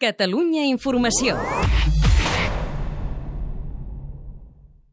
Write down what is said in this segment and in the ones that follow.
Catalunya Informació.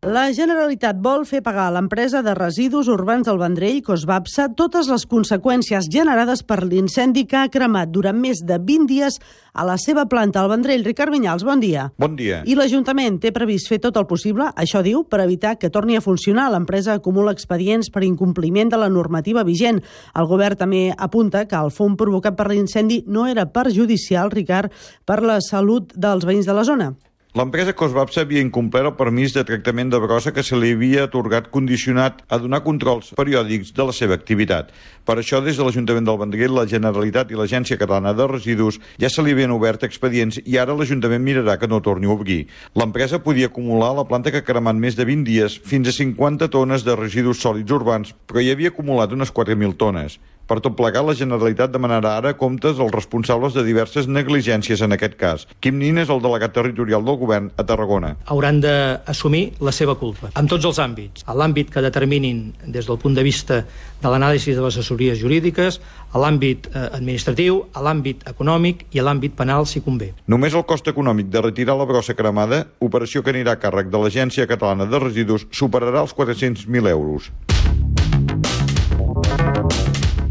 La Generalitat vol fer pagar a l'empresa de residus urbans del Vendrell, Cosbapsa, totes les conseqüències generades per l'incendi que ha cremat durant més de 20 dies a la seva planta al Vendrell. Ricard Vinyals, bon dia. Bon dia. I l'Ajuntament té previst fer tot el possible, això diu, per evitar que torni a funcionar. L'empresa acumula expedients per incompliment de la normativa vigent. El govern també apunta que el fum provocat per l'incendi no era perjudicial, Ricard, per la salut dels veïns de la zona. L'empresa Cosbapsa havia incomplert el permís de tractament de brossa que se li havia atorgat condicionat a donar controls periòdics de la seva activitat. Per això, des de l'Ajuntament del Vendrell, la Generalitat i l'Agència Catalana de Residus ja se li havien obert expedients i ara l'Ajuntament mirarà que no torni a obrir. L'empresa podia acumular a la planta que ha cremat més de 20 dies fins a 50 tones de residus sòlids urbans, però hi havia acumulat unes 4.000 tones. Per tot plegat, la Generalitat demanarà ara comptes als responsables de diverses negligències en aquest cas. Quim Nin és el delegat territorial del govern a Tarragona. Hauran d'assumir la seva culpa, en tots els àmbits. A l'àmbit que determinin des del punt de vista de l'anàlisi de les assessories jurídiques, a l'àmbit administratiu, a l'àmbit econòmic i a l'àmbit penal, si convé. Només el cost econòmic de retirar la brossa cremada, operació que anirà a càrrec de l'Agència Catalana de Residus, superarà els 400.000 euros.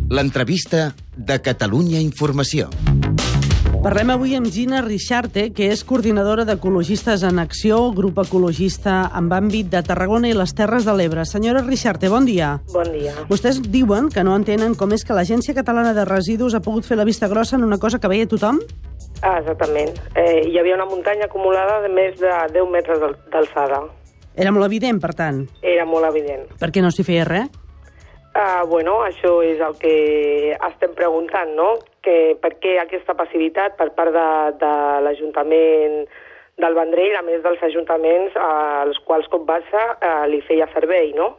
L'entrevista de Catalunya Informació. Parlem avui amb Gina Richarte, que és coordinadora d'Ecologistes en Acció, grup ecologista amb àmbit de Tarragona i les Terres de l'Ebre. Senyora Richarte, bon dia. Bon dia. Vostès diuen que no entenen com és que l'Agència Catalana de Residus ha pogut fer la vista grossa en una cosa que veia tothom? Exactament. Hi havia una muntanya acumulada de més de 10 metres d'alçada. Era molt evident, per tant. Era molt evident. Per què no s'hi feia res? Bueno, això és el que estem preguntant, no? Per què aquesta passivitat per part de l'Ajuntament del Vendrell, a més dels ajuntaments als quals Cosbapsa li feia servei, no?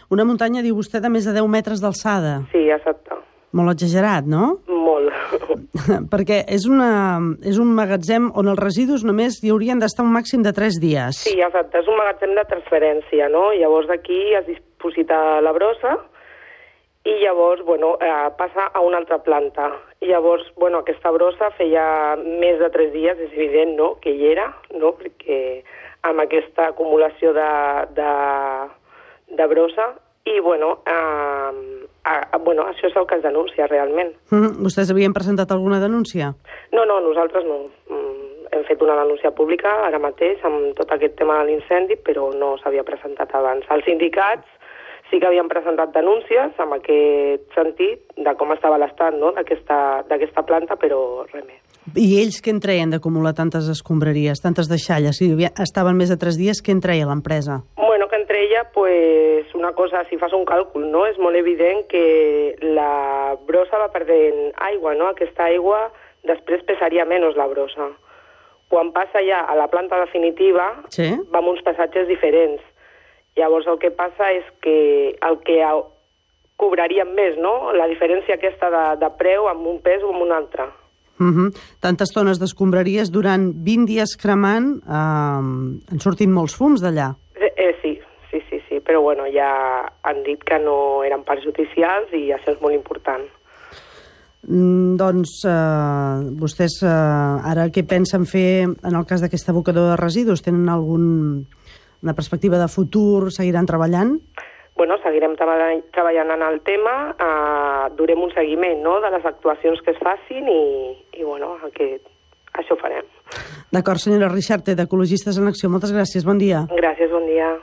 Una muntanya, diu vostè, de més de 10 metres d'alçada. Sí, exacte. Molt exagerat, no? Molt. Perquè és un magatzem on els residus només hi haurien d'estar un màxim de 3 dies. Sí, exacte. És un magatzem de transferència, no? Llavors d'aquí es diposita la brossa i llavors, passa a una altra planta. I llavors, aquesta brossa feia més de 3 dies, és evident, no?, que hi era, no?, perquè amb aquesta acumulació de brossa. I, això és el que es denuncia realment. Vostès havien presentat alguna denúncia? No, nosaltres no. Hem fet una denúncia pública ara mateix amb tot aquest tema de l'incendi, però no s'havia presentat abans. Els sindicats sí que havien presentat denúncies en aquest sentit de com estava l'estat, no?, d'aquesta planta, però res més. I ells què en treien d'acumular tantes escombraries, tantes deixalles? Si estaven més de 3 dies, què en treia l'empresa? Que en treia, una cosa, si fas un càlcul, no?, és molt evident que la brossa va perdent aigua, no? Aquesta aigua després pesaria menys la brossa. Quan passa ja a la planta definitiva, sí, va amb uns pesatges diferents. Llavors el que passa és que el que cobraríem més, no?, la diferència aquesta de preu amb un pes o amb un altre. Tantes tones d'escombraries durant 20 dies cremant, han sortit molts fums d'allà. Sí, però ja han dit que no eren perjudicials i això és molt important. Doncs vostès ara què pensen fer en el cas d'aquest abocador de residus? Tenen una perspectiva de futur? Seguiran treballant? Seguirem treballant en el tema, durem un seguiment, no?, de les actuacions que es facin i això farem. D'acord, senyora Richarte, d'Ecologistes en Acció. Moltes gràcies, bon dia. Gràcies, bon dia.